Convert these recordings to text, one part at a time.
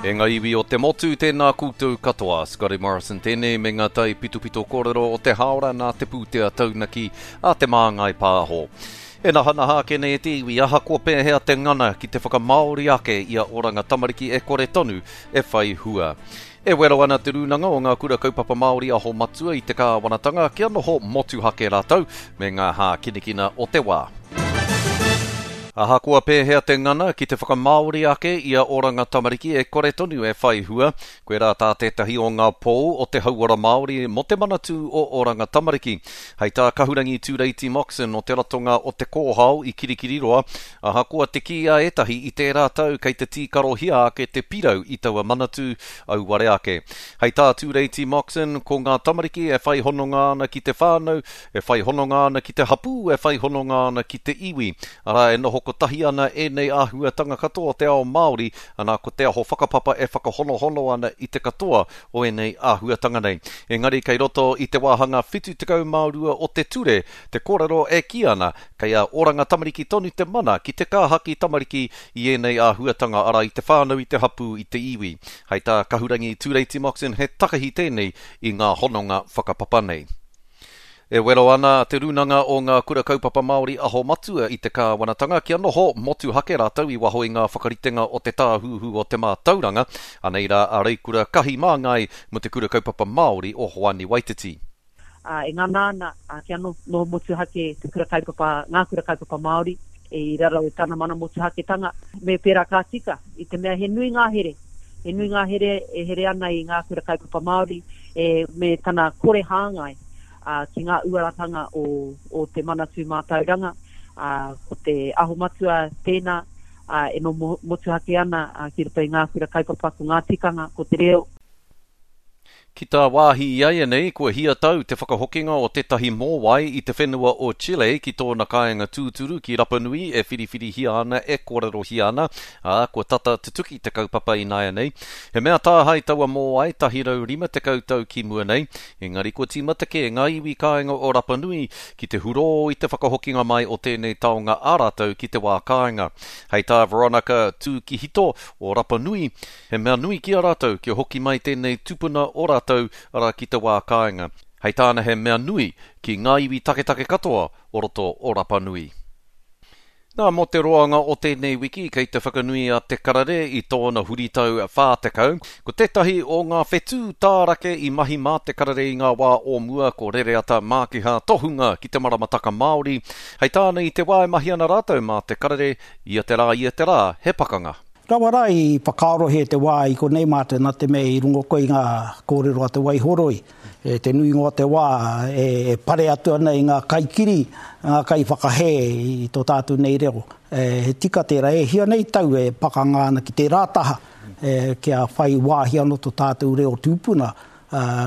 E ngā iwi o te motu, tēnā koutou katoa. Scotty Morrison tēnei me ngā tai pitopito kōrero o te hāora nā te pūtea taunaki a Te Māngai Pāho. E nahanaha ake nei e te iwi, ahakoa pēhea te ngana ki te whakamāori ake i a Oranga Tamariki e kore tonu e whai hua. E wero ana Te Rūnanga o Ngā Kura Kaupapa Māori Aho Matua i te kāwanatanga kia noho motuhake rātou me ngā hākinakina o te wā. Ahakoa pēhea te ngana ki te whakamāori ake i a Oranga Tamariki e kore tonu e whai hua, koirā tā tētahi o ngā pou o te hauora Māori mō te Manatū o Oranga Tamariki. Hei tā Kahurangi Tūreiti Moxon o te ratonga o Te Kōhao i Kirikiriroa, Ahakoa te kī a ētahi i tērā tau kei te tīkarohia ake te pirau i taua manatū, auare ake. Hei tā Tūreiti Moxon, ko ngā tamariki e whai hononga ana ki te whānau, e whai hononga ana ki te hapū, e whai hononga ana ki te iwi. Arā, e noho kotahi ana ēnei āhuatanga katoa o te ao Māori, anā, ko te aho whakapapa e whakahonohono ana i te katoa o ēnei āhuatanga nei. Engari kei roto i te wāhanga 72 o te ture te kōrero e kī ana Kei a Oranga Tamariki tonu te mana ki te kāhaki tamariki i ēnei āhuatanga, arā, i te whānau, i te hapū, i te iwi. Hei tā Kahurangi Tūreiti Moxon he takahi tēnei i ngā hononga whakapapa nei. E wero ana Te Rūnanga o Ngā Kura Kaupapa Māori Aho Matua i te kāwanatanga kia noho motuhake rātou i waho i ngā whakaritenga o te Tāhuhu o te Mātauranga. Anei rā a Reikura Kahi Māngai mō Te Kura Kaupapa Māori o Hoani Waititi. ā, e ngana ana kia noho motuhake te kura kaupapa, ngā kura kaupapa Māori i raro i tana mana motuhaketanga. Me pērā ka tika, i te mea he nui ngā here, he nui ngā here e here ana i ngā kura kaupapa Māori e, me tana kore hāngai ki ngā uaratanga o, o te Manatū Mātauranga, ā, ko te Aho Matua tēnā, ā, e noho motuhake ana ki roto i ngā kura kaupapa, ko ngā tikanga, ko te reo. Ki tā wāhi iaianei, kua hia tau te whakahokinga o tētahi mōwai i te whenua o Chile ki tōna kāinga tūturu ki Rapanui e whiriwhirihia ana, e kōrerohia ana, ā, kua tata tutuki te kaupapa ināianei. He mea tāhae taua mōwai 150 tau ki mua nei, engari kua tīmata kē ngā iwi kāinga o Rapanui ki te hurō i te whakahokinga mai o tēnei taonga ā rātou ki te wā kāinga. Hei tā Veronica Tūkihito o Rapanui, He mea nui ki a rātou kia hoki mai tēnei tupuna o rātou arā ki te wā kāinga. Hei tāna he mea nui ki ngā iwi taketake katoa o roto o Rapa Nui. Nā, mō te roanga o tēnei wiki kei te whakanui a Te Karere i tōna huritau 40. Ko tētahi o ngā whetū tārake i mahi mā Te Karere i ngā wā o mua ko Rereata Mākiha tohunga ki te maramataka Māori. Hei tāna i te wā e mahi ana rātou mā Te Karere, ia te rā ia te rā he pakanga. Rawa rā i whakaarohia te wā i konei mātou nā te mea i rongo koe i ngā kōrero a te Waihoroi, e te nuinga o te wā e pare atu ana i ngā kaikiri, ngā kaiwhakahē i tō tātou nei reo. He tika tērā, e hia nei tau e pakanga ana ki tērā taha kia whai wāhi anō tō tātou reo tūpuna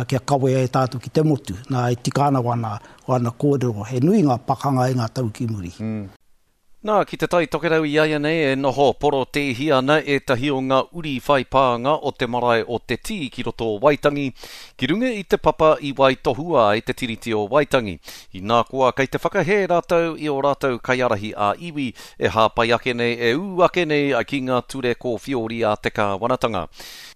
kia kawea e tātou ki te motu. Nā, e tika ana wāna kōrero, he nui ngā pakanga i ngā tau ki muri. Nā, ki Te Tai Tokerau iaianei e noho porotēhi ana ētahi o ngā uri whai pānga o te marae o Te Tī ki roto o Waitangi, ki runga i te papa i waitohua ai te Tiriti o Waitangi. Inā koa, kei te whakahē rātou i ō rātou kaiārahi ā-iwi e hāpai ake nei, e ū ake nei ki ngā ture kōwhiori a te kāwanatanga.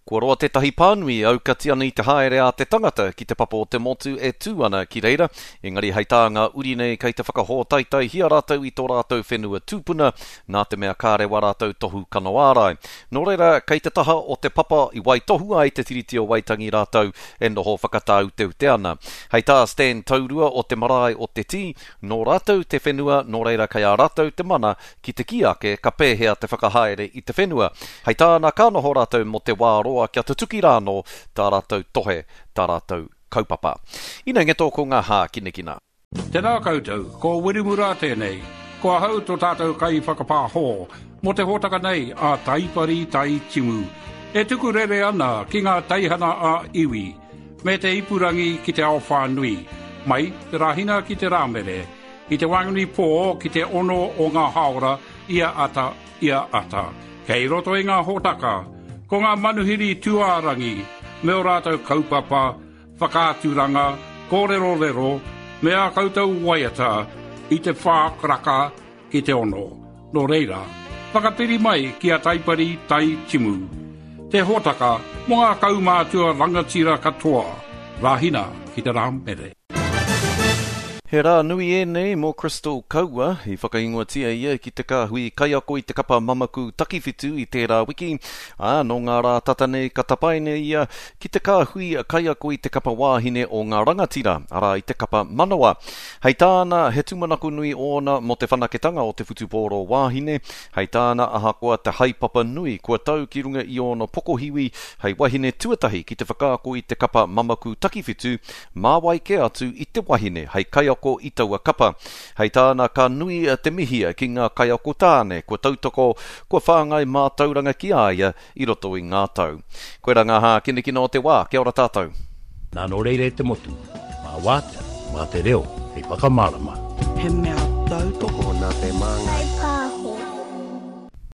Kua roa tētahi pānui e aukati ana i te haere a te tangata ki te papa o te motu e tū ana ki reira, engari hei tā ngā uri nei kei te whakahōtaetaihia rātou i tō rātou whenua tūpuna, nā te mea kāre wā rātou tohu kano ārai. Nō reira, kei te taha o te papa i waitohua ai te Tiriti o Waitangi rātou e noho whakatāuteute ana. Hei tā Stan Taurua o te marae o Te Tī, nō rātou te whenua, nō reira kei a rātou te mana ki te kī ake ka pēhea te whakahaere i te whenua. Hei tāna ka noho rātou mō te wā roa kia tutuki rānō tā rātou tohe, tā rātou kaupapa. Ina ngeto ko ngā hākinakina. Tēnā koutou, ko Wiremu Rā tēnei. Ko ahau tō tātou kaiwhakapāho mō te hōtaka nei a Taipari Tai Timu. E tuku rere ana ki ngā teihana ā-iwi me te ipurangi ki te ao whānui, mai te Rāhina ki te Rāmere, I te waenganui pō ki te ono o ngā hāora ia ata, ia ata. Kei roto i ngā hōtaka, ko ngā manuhiri tūārangi me ō rātou kaupapa, whakaaturanga, kōrerorero, me ā koutou waiata i te whā karaka ki te ono. Nō reira, whakapiri mai ki a Taipari Tai Timu. Te hōtaka mō ngā kaumātua rangatira katoa, Rāhina ki te Rāmere. He rā nui ēnei mō Crystal Kaua, i whakaingoatia ia ki te kāhui kaiako i te kapa Mamaku Takiwhitu i tērā wiki, ā, nō ngā rā tata nei ka tapaina ia ki te kāhui kaiako i te kapa wāhine o ngā rangatira, arā i te kapa Manawa. Hei tāna, he tūmanako nui ōna mō te whanaketanga o te whutupōro wāhine, Hei tāna, ahakoa te haepapa nui kua tau ki runga i ōna pokohiwi hei wahine tuatahi ki te whakaako i te kapa Mamaku Takiwhitu, mā wai kē atu i te wahine hei kaiako i taua kapa. Hei tāna, ka nui te mihia ki ngā kaiako tāne kua tautoko, kua whāngai mātauranga ki a ia i roto i ngā tau. Koirā ngā hākinakina o te wā, kia ora tātou. Nā nō reira e te motu, mā Wātea, mā te reo hei whakamārama. He mea tautoko nā te Māngai.